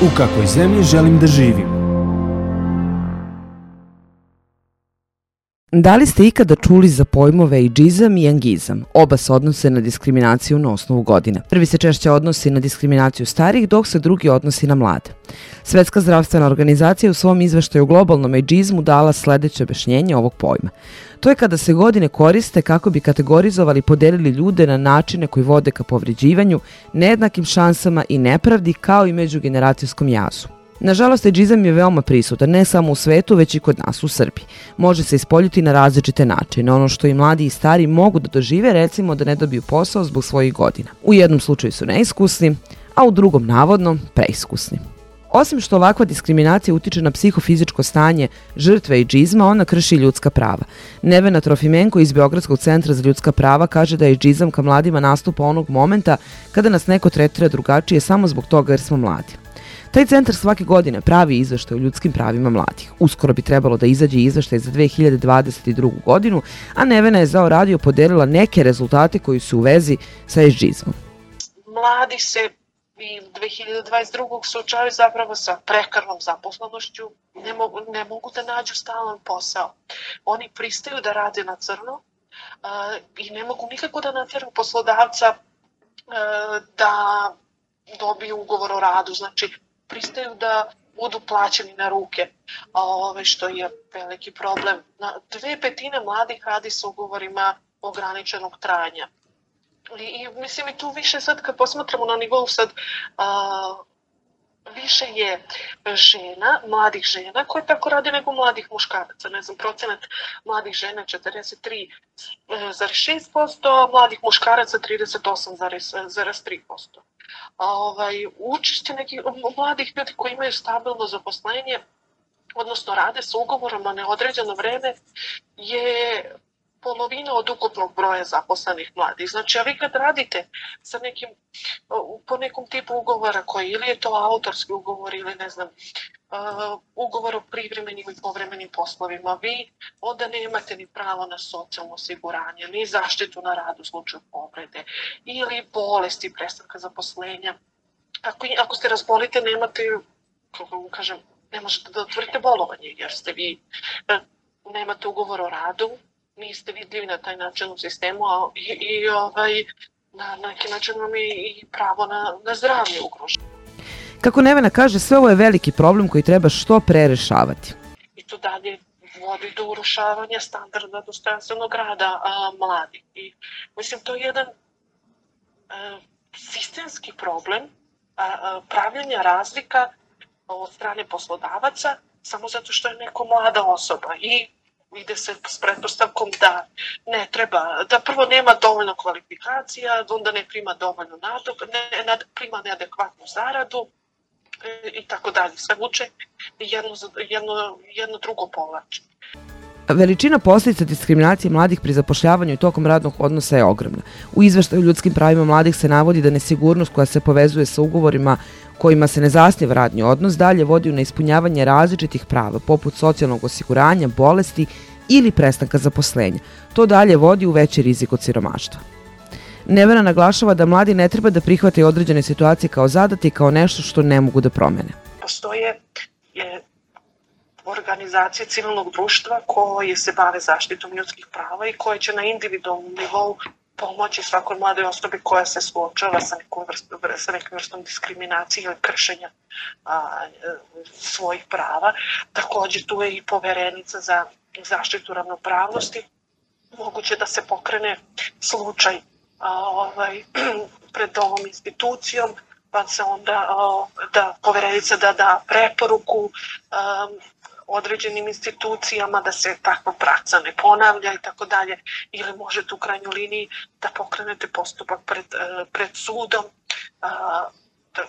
U kakvoj zemlji želim da živim? Da li ste ikada čuli za pojmove ejdžizam i angizam? Oba se odnose na diskriminaciju na osnovu godina. Prvi se češće odnosi na diskriminaciju starih, dok se drugi odnosi na mlade. Svetska zdravstvena organizacija u svom izveštaju o globalnom ejdžizmu dala sledeće objašnjenje ovog pojma. To je kada se godine koriste kako bi kategorizovali i podelili ljude na načine koji vode ka povređivanju, nejednakim šansama i nepravdi, kao i međugeneracijskom jazu. Nažalost, ejdžizam je veoma prisutan, ne samo u svetu, već i kod nas u Srbiji. Može se ispoljiti na različite načine. Ono što i mladi i stari mogu da dožive, recimo da ne dobiju posao zbog svojih godina. U jednom slučaju su neiskusni, a u drugom navodno preiskusni. Osim što ovakva diskriminacija utiče na psihofizičko stanje žrtve ejdžizma, ona krši ljudska prava. Nevena Trofimenko iz Beogradskog centra za ljudska prava kaže da ejdžizam ka mladima nastupa onog momenta kada nas neko tretira drugačije samo zbog toga jer smo mladi. Taj centar svake godine pravi izveštaj o ljudskim pravima mladih. Uskoro bi trebalo da izađe izveštaj za 2022. godinu, a Nevena je za radio podelila neke rezultate koji su u vezi sa ejdžizmom. Mladi se i 2022. suočavaju zapravo sa prekarnom zaposlenošću, ne mogu da nađu stalan posao. Oni pristaju da rade na crno i ne mogu nikako da natjeraju poslodavca da dobiju ugovor o radu, znači pristaju da budu plaćeni na ruke, što je veliki problem. 2/5 mladih radi sa ugovorima ograničenog trajanja. I mislim i tu više sad kad posmatramo na nivou sad više je žena, mladih žena koje tako rade nego mladih muškaraca. Ne znam, procenat mladih žena 43,6%, mladih muškaraca 38,3%. Učešće nekih mladih ljudi koji imaju stabilno zaposlenje, odnosno rade sa ugovorom na neodređeno vreme, je polovina od ukupnog broja zaposlenih mladih. Znači, a vi kad radite sa po nekom tipu ugovora koji ili je to autorski ugovor ili ne znam, ugovor o privremenim i povremenim poslovima, vi onda nemate ni pravo na socijalno osiguranje, ni zaštitu na radu u slučaju povrede ili bolesti, prestanka zaposlenja. Ako ste razbolite, ne možete da otvorite bolovanje jer nemate ugovor o radu, niste vidljivi na taj način u sistemu na neki način vam je i pravo na zdravlje ugroženo. Kako Nevena kaže, sve ovo je veliki problem koji treba što pre rešavati. I to dalje vodi do urušavanja standarda dostojanstvenog rada mladih. I mislim, to je jedan sistemski problem pravljenja razlika od strane poslodavaca samo zato što je neko mlada osoba i ide se s pretpostavkom da ne treba, da prvo nema dovoljno kvalifikacija, onda ne prima dovoljno prima neadekvatnu zaradu i tako dalje. Sve vuče jedno drugo povlači. Veličina posljedica diskriminacije mladih pri zapošljavanju i tokom radnog odnosa je ogromna. U izveštaju o ljudskim pravima mladih se navodi da nesigurnost koja se povezuje sa ugovorima kojima se ne zasniva radni odnos dalje vodi u neispunjavanje različitih prava, poput socijalnog osiguranja, bolesti ili prestanka zaposlenja. To dalje vodi u veći rizik od siromaštva. Nevena naglašava da mladi ne treba da prihvataju određene situacije kao zadati, kao nešto što ne mogu da promene. Postoje organizacije civilnog društva koje se bave zaštitom ljudskih prava i koje će na individualnom nivou pomoći svakoj mladoj osobi koja se suočava sa nekom vrstom diskriminacije ili kršenja svojih prava. Također tu je i poverenica za zaštitu ravnopravnosti. Moguće da se pokrene slučaj pred ovom institucijom, pa se onda poverenica da preporuku određenim institucijama da se takva praksa ne ponavlja i tako dalje, ili možete u krajnjoj liniji da pokrenete postupak pred sudom.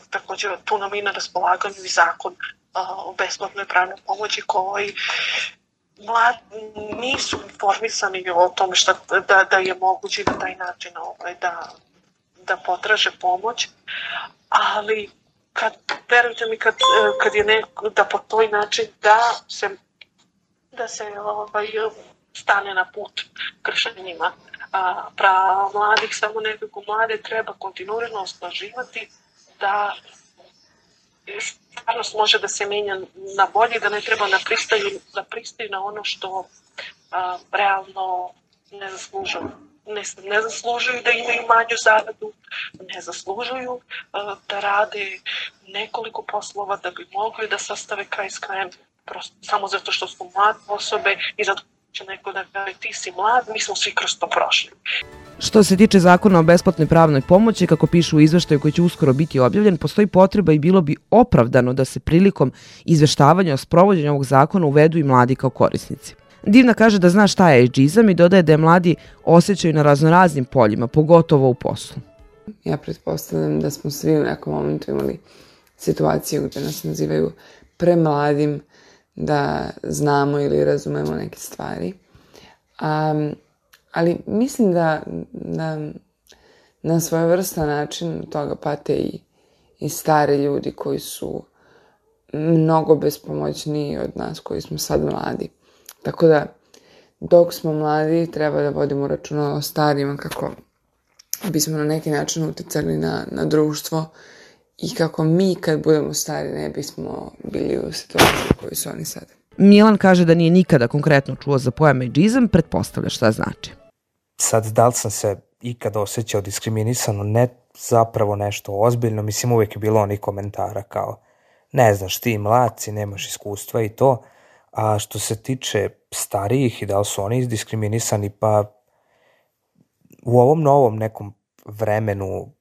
Također tu nam i na raspolaganju i zakon o besplatnoj pravnoj pomoći koji nisu informisani o tome da je moguće na taj način da potraže pomoć, ali verujte mi kad je neko da po toj način da se stane na put kršenjima prava mladih, samo nekako mlade treba kontinuirano osnaživati stvarnost može da se menja na bolje, da ne treba da pristaju na ono što realno ne zaslužuju. Ne zaslužuju da imaju manju zaradu, ne zaslužuju da rade nekoliko poslova da bi mogli da sastave kraj s krajem, prosto samo zato što su mlade osobe i zato će neko da kaže ti si mlad, mi smo svi kroz to prošli. Što se tiče zakona o besplatnoj pravnoj pomoći, kako pišu u izveštaju koji će uskoro biti objavljen, postoji potreba i bilo bi opravdano da se prilikom izveštavanja o sprovođenju ovog zakona uvedu i mladi kao korisnici. Divna kaže da zna šta je ageizam i dodaje da je mladi osjećaju na raznoraznim poljima, pogotovo u poslu. Ja pretpostavljam da smo svi u nekom momentu imali situaciju gde nas nazivaju premladim da znamo ili razumemo neke stvari. Ali mislim da na svojevrstan način toga pate i stari ljudi koji su mnogo bespomoćniji od nas koji smo sad mladi. Tako da, dok smo mladi, treba da vodimo računa o starijima kako bismo na neki način uticali na društvo i kako mi kad budemo stari ne bismo bili u situaciji u kojoj su oni sad. Milan kaže da nije nikada konkretno čuo za pojam ageizam, pretpostavlja šta znači. Sad, da li sam se ikada osjećao diskriminisano, ne zapravo nešto ozbiljno, mislim uvijek je bilo onih komentara kao ne znaš ti mladci, nemaš iskustva i to, a što se tiče starijih i da li su oni diskriminisani, pa u ovom novom nekom vremenu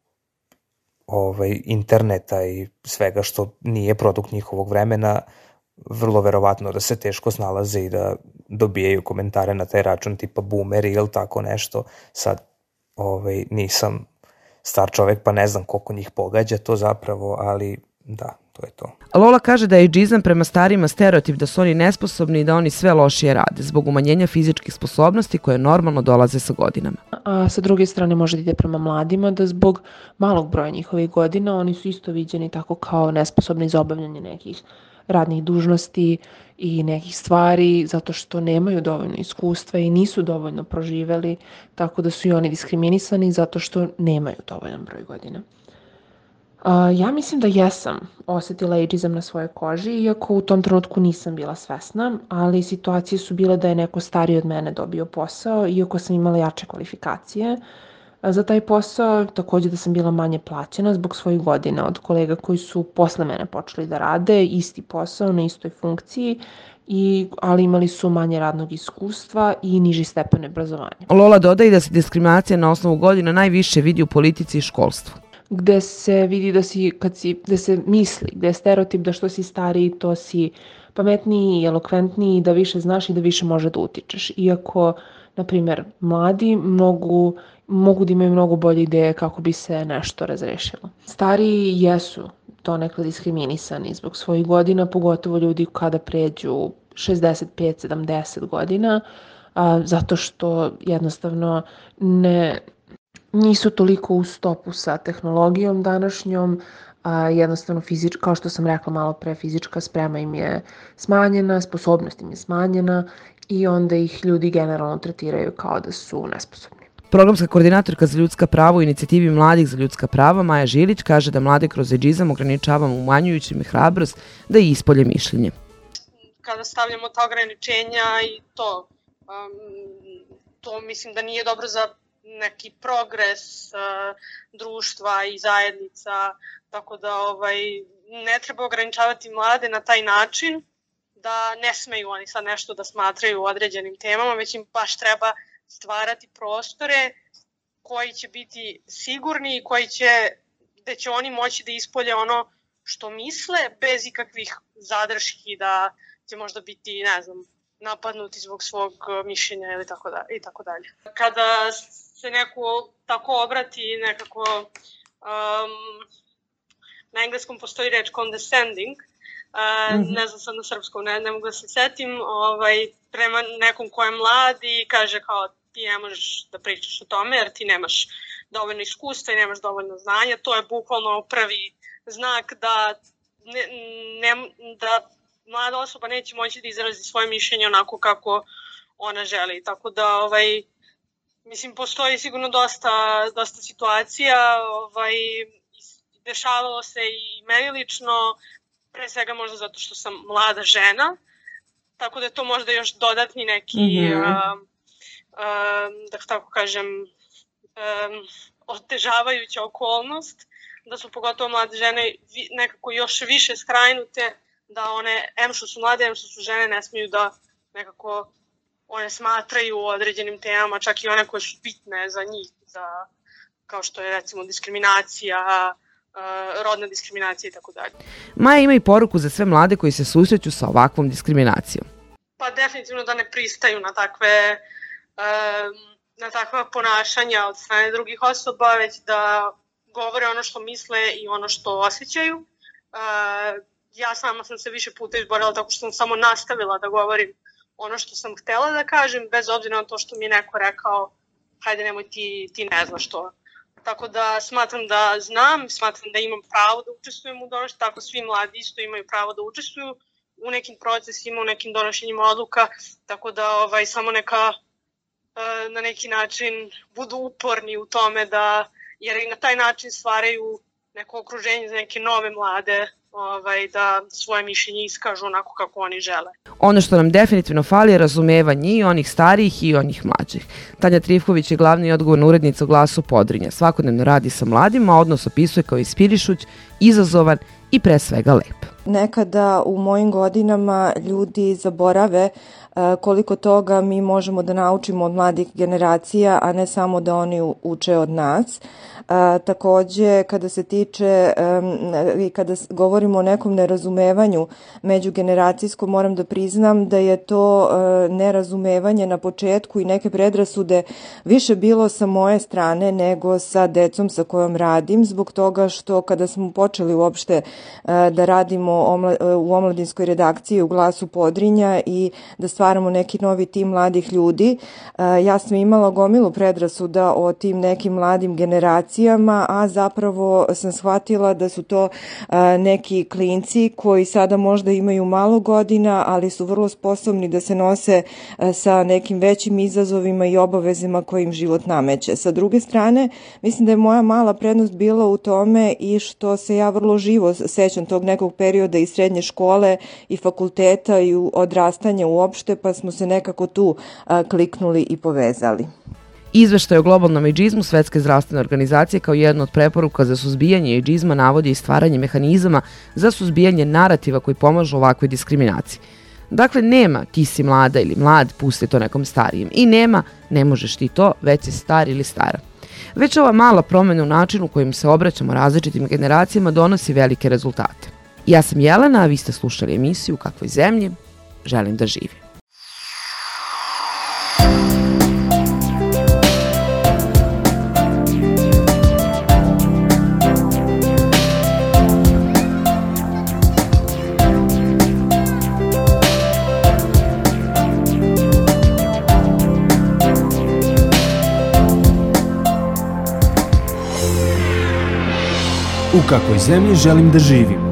interneta i svega što nije produkt njihovog vremena, vrlo verovatno da se teško snalaze i da dobijaju komentare na taj račun tipa boomeri ili tako nešto. Sad nisam star čovek pa ne znam koliko njih pogađa to zapravo, ali da, to je to. Lola kaže da je ageizam prema starijima stereotip da su oni nesposobni i da oni sve lošije rade zbog umanjenja fizičkih sposobnosti koje normalno dolaze sa godinama. A sa druge strane može da ide prema mladima da zbog malog broja njihovih godina oni su isto viđeni tako kao nesposobni za obavljanje nekih radnih dužnosti i nekih stvari zato što nemaju dovoljno iskustva i nisu dovoljno proživeli, tako da su i oni diskriminisani zato što nemaju dovoljan broj godina. Ja mislim da jesam osetila ageizam na svojoj koži, iako u tom trenutku nisam bila svesna, ali situacije su bile da je neko stariji od mene dobio posao, iako sam imala jače kvalifikacije za taj posao, takođe da sam bila manje plaćena zbog svojih godina od kolega koji su posle mene počeli da rade isti posao na istoj funkciji, ali imali su manje radnog iskustva i niži stepen obrazovanja. Lola dodaje da se diskriminacija na osnovu godina najviše vidi u politici i školstvu. Gde se vidi gde se misli, gde je stereotip da što si stariji, to si pametniji i elokventniji, da više znaš i da više može da utičeš. Iako, na primjer, mladi mogu da imaju mnogo bolje ideje kako bi se nešto razrešilo. Stariji jesu donekle diskriminisani zbog svojih godina, pogotovo ljudi kada pređu 65-70 godina, zato što jednostavno nisu toliko u stopu sa tehnologijom današnjom, jednostavno kao što sam rekla malo pre, fizička sprema im je smanjena, sposobnost im je smanjena i onda ih ljudi generalno tretiraju kao da su nesposobni. Programska koordinatorka za ljudska prava u inicijativi Mladih za ljudska prava Maja Žilić kaže da mlade kroz ageizam ograničavamo umanjujući im hrabrost da ispolje mišljenje. Kada stavljamo ta ograničenja i to mislim da nije dobro za neki progres društva i zajednica, tako da ne treba ograničavati mlade na taj način da ne smeju oni sad nešto da smatraju određenim temama, već im baš treba stvarati prostore koji će biti sigurni i gde će oni moći da ispolje ono što misle bez ikakvih zadrški da će možda biti, ne znam, napadnuti zbog svog mišljenja ili tako dalje. Kada se neko tako obrati nekako, na engleskom postoji reč condescending, ne znam sad na srpskom, ne mogu da se setim, prema nekom ko je mlad i kaže kao ti ne možeš da pričaš o tome jer ti nemaš dovoljno iskustva i nemaš dovoljno znanja, to je bukvalno prvi znak da mlada osoba neće moći da izrazi svoje mišljenje onako kako ona želi, tako da mislim, postoji sigurno dosta situacija, dešavalo se i meni lično pre svega možda zato što sam mlada žena, tako da je to možda još dodatni neki, da tako kažem, otežavajuća okolnost, da su pogotovo mlade žene nekako još više skrajnute, da one, em što su mlade, em što su žene, ne smiju da nekako one smatraju o određenim temama, čak i one koje su bitne za njih, kao što je recimo diskriminacija, rodna diskriminacija i tako dalje. Maja ima i poruku za sve mlade koji se susreću sa ovakvom diskriminacijom. Pa definitivno da ne pristaju na takva ponašanja od strane drugih osoba, već da govore ono što misle i ono što osjećaju. Ja sama sam se više puta izborila tako što sam samo nastavila da govorim ono što sam htela da kažem, bez obzira na to što mi je neko rekao hajde nemoj ti ne znaš to. Tako da smatram da znam, smatram da imam pravo da učestvujem u donošenju, tako svi mladi isto imaju pravo da učestvuju u nekim procesima, u nekim donošenjima odluka, tako da samo neka na neki način budu uporni u tome jer i na taj način stvaraju neko okruženje za neke nove mlade, da svoje mišljenje iskažu onako kako oni žele. Ono što nam definitivno fali je razumevanje i onih starijih i onih mlađih. Tanja Trifković je glavna i odgovorna urednica u Glasu Podrinja. Svakodnevno radi sa mladima, odnos opisuje kao inspirišuć, izazovan i pre svega lep. Nekada u mojim godinama ljudi zaborave koliko toga mi možemo da naučimo od mladih generacija, a ne samo da oni uče od nas. Takođe, kada se tiče i kada govorimo o nekom nerazumevanju međugeneracijskom, moram da priznam da je to nerazumevanje na početku i neke predrasude više bilo sa moje strane nego sa decom sa kojom radim, zbog toga što kada smo počeli uopšte da radimo u omladinskoj redakciji u Glasu Podrinja i da stvaramo neki novi tim mladih ljudi, ja sam imala gomilu predrasuda o tim nekim mladim generacijama, a zapravo sam shvatila da su to neki klinci koji sada možda imaju malo godina, ali su vrlo sposobni da se nose sa nekim većim izazovima i obavezima koje im život nameće. Sa druge strane, mislim da je moja mala prednost bila u tome i što se ja vrlo živo sećam tog nekog perioda i srednje škole i fakulteta i odrastanja uopšte, pa smo se nekako tu kliknuli i povezali. Izveštaj o globalnom ejdžizmu Svetske zdravstvene organizacije kao jedna od preporuka za suzbijanje ejdžizma navodi i stvaranje mehanizama za suzbijanje narativa koji pomažu ovakvoj diskriminaciji. Dakle, nema ti si mlada ili mlad, pusti to nekom starijem. I nema ne možeš ti to, već si star ili stara. Već ova mala promjena u načinu kojim se obraćamo različitim generacijama donosi velike rezultate. Ja sam Jelena, a vi ste slušali emisiju U kakvoj zemlji želim da živim. U kakvoj zemlji želim da živim.